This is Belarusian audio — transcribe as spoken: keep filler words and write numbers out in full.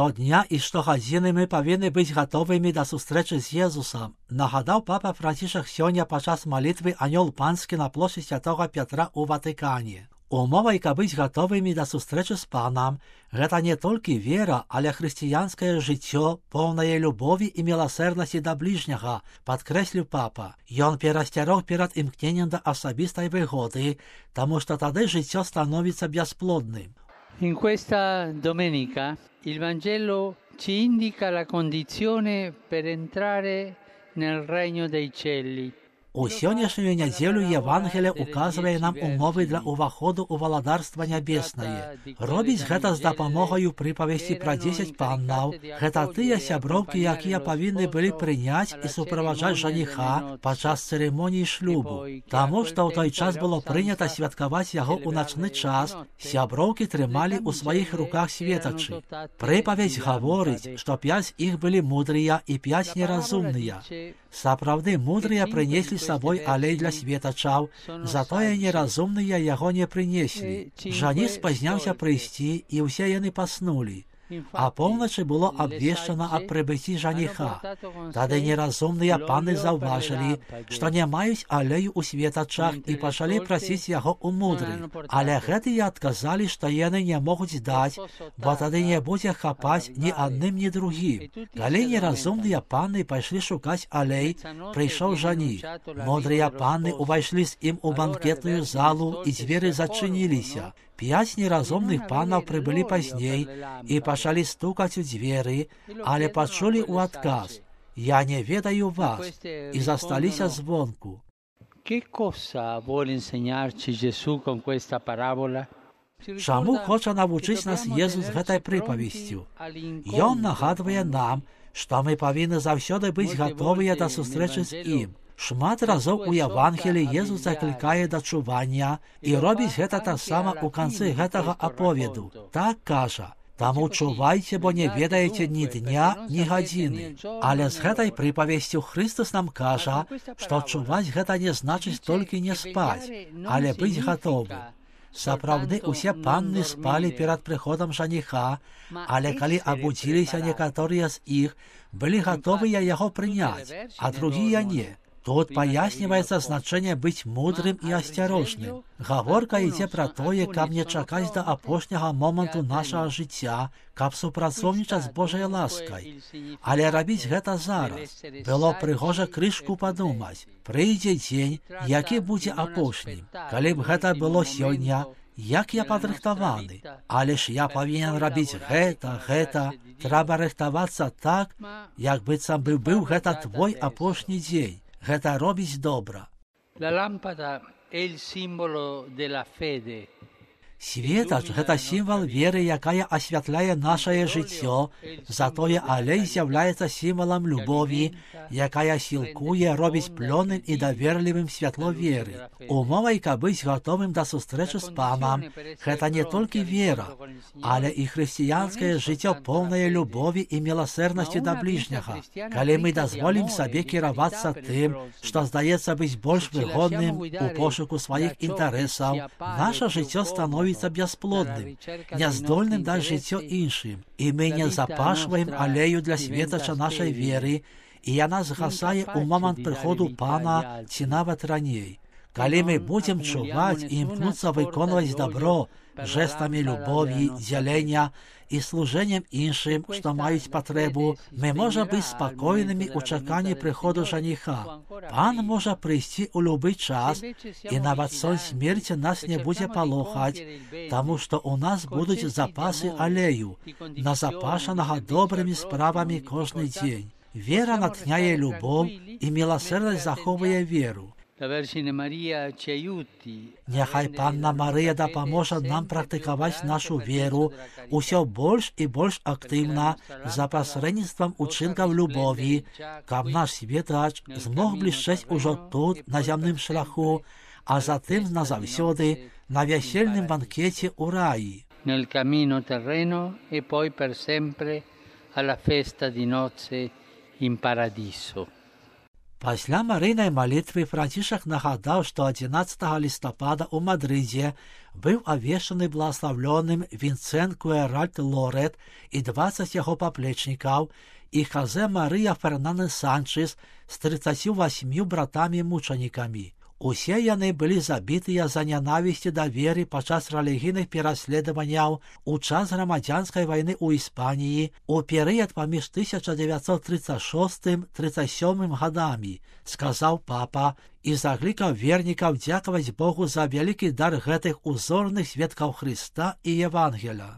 Штодня і штогодзіны мы павінны быць гатовымі да сустрэчы з Езусам, нагадаў папа Францішак сёння падчас малітвы Анёл Панскі на плошчы Святога Пятра ў Ватыкане. Умовай, каб быць гатовымі да сустрэчы з Панам, гэта не толькі вера, але хрысціянскае жыццё, поўнае любові і міласэрнасці да бліжняга, падкрэсліў папа. Ён перасцярог перад імкненнем да асабістай выгоды, таму што тады жыццё становіцца бясплодным. In questa domenica il Vangelo ci indica la condizione per entrare nel regno dei cieli. У сённяшнюю нядзелю Евангелие указвае нам умовы для ўваходу ў валадарства нябеснае. Робіць гэта з дапамогаю прыпавесці пра дзесяць паннаў. Гэта тыя сяброўкі, якія павінны былі прыняць і суправаджаць жаніха падчас цырымоніі шлюбу. Таму што ў той час было прынята святкаваць яго ў начны час, сяброўкі трымалі ў сваіх руках светачы. Прыпавесць гаворыць, што пяць іх былі мудрыя і пяць неразумныя. Сапраўды мудрыя прынеслі з сабой алей для светачаў, затое неразумныя яго не прынеслі. Жаніх спазняўся прыйсці, і ўсе яны паснулі. А поўначы было абвешчана аб прыбыцці жаніха. Тады неразумныя паны заўважылі, што не маюць алею ў светачах і пачалі прасіць яго ў мудрых. Але гэтыя адказалі, што яны не могуць даць, бо тады не будзе хапаць ні адным, ні другім. Калі неразумныя паны пайшлі шукаць алей, прыйшоў жаніх. Мудрыя паны ўвайшлі з ім у банкетную залу, і дзверы зачыніліся. П'ять неразумных панаў прыбылі пазней і пачалі стукаць у дзверы, але пачулі ў адказ: «Я не ведаю вас», і засталіся звонку. Che cosa vuole insegnarci Gesù con questa parabola? Чаму хоча навучыць нас Езус гэтай прыпавесцю? Ён нагадвае нам, што мы павінны заўсёды быць гатовыя да сустрэчы з ім. Шмат разоў у Евангеліі Езус заклікае да чування і робіць гэта таксама ў канцы гэтага аповеду. Так кажа: «Таму чувайце, бо не ведаеце ні дня, ні гадзіны». Але з гэтай прыпавесцю Христос нам кажа, што чуваць гэта не значыць толькі не спаць, але быць гатовым. Сапраўды усе панны спалі перад прыходам жаніха, але калі абудзіліся некаторыя з іх, былі гатовыя яго прыняць, а другія не. Тут паясніваецца значэнне быць мудрым і асцярожным. Гаворка ідзе пра тое, каб не чакаць да апошняга моманту нашага жыцця, каб супрацоўнічаць з Божай ласкай. Але рабіць гэта зараз. Было прыгожа крышку падумаць. Прыйдзе дзень, які будзе апошнім. Калі б гэта было сёння, як я падрыхтаваны. Але ж я павінен рабіць гэта, гэта. Трэба рыхтавацца так, як быццам бы быў гэта твой апошні дзень. Гэта робіць добра. La lampada è il simbolo della fede. Светач – гэта сімвал веры, якая асвятляе нашае жыццё, затое алей з'яўляецца сімвалам любові, якая сілкуе, робіць плённым і даверлівым святло веры. Умовай, каб быць гатовым да сустрэчы з Панам, гэта не толькі вера, але і хрысціянскае жыццё поўнае любові і міласэрнасці да бліжняга. Калі мы дазволім сабе кіравацца тым, што здаецца быць больш выгодным у пошуку сваіх інтарэсаў, наша жыццё становіцца бясплодным, няздольным даць жыццё іншым, і мы не запашваем алею для светача нашай веры, і яна згасае ў момант прыходу Пана ці нават раней. Калі мы будзем чуваць і імкнуцца выконваць дабро жэстамі любові, дзялення і служэннем іншым, што маюць патрэбу, мы можам быць спакойнымі ў чаканні прыходу жаніха. Пан можа прыйсці ў любы час, і нават сон смерці нас не будзе палохаць, таму што ў нас будуць запасы алею, назапашанага добрымі справамі кожны дзень. Вера натхняе любоў, і міласэрнасць захоўвае веру. Няхай Панна Марыя дапаможа нам практыкаваць нашу веру усё больш і больш актыўна за пасрэдніцтвам учынкаў любові, каб наш светач змог блішчэць ужо тут, на зямным шляху, а затым назаўсёды на вясельным банкеце ў раі. Nel cammino terreno e poi per sempre alla festa di nozze in paradiso. Пасля марыйнай малітвы Францішак нагадаў, што адзінаццатага лістапада ў Мадрыдзе быў авешчаны благаслаўлёным Вінцэнт Куэральт Лорет і дваццаць яго паплечнікаў і Хазе Марыя Фернандес Санчес з трыццаццю васьмю братамі-мучанікамі. Усе яны былі забітыя за нянавісці да веры падчас рэлігійных пераследаванняў у час грамадзянскай вайны ў Іспаніі у перыяд паміж тысяча дзевяцьсот трыццаць шостым — трыццаць сёмым гадамі, сказаў папа і заклікаў вернікаў дзякаваць Богу за вялікі дар гэтых узорных сведкаў Хрыста і Евангеля.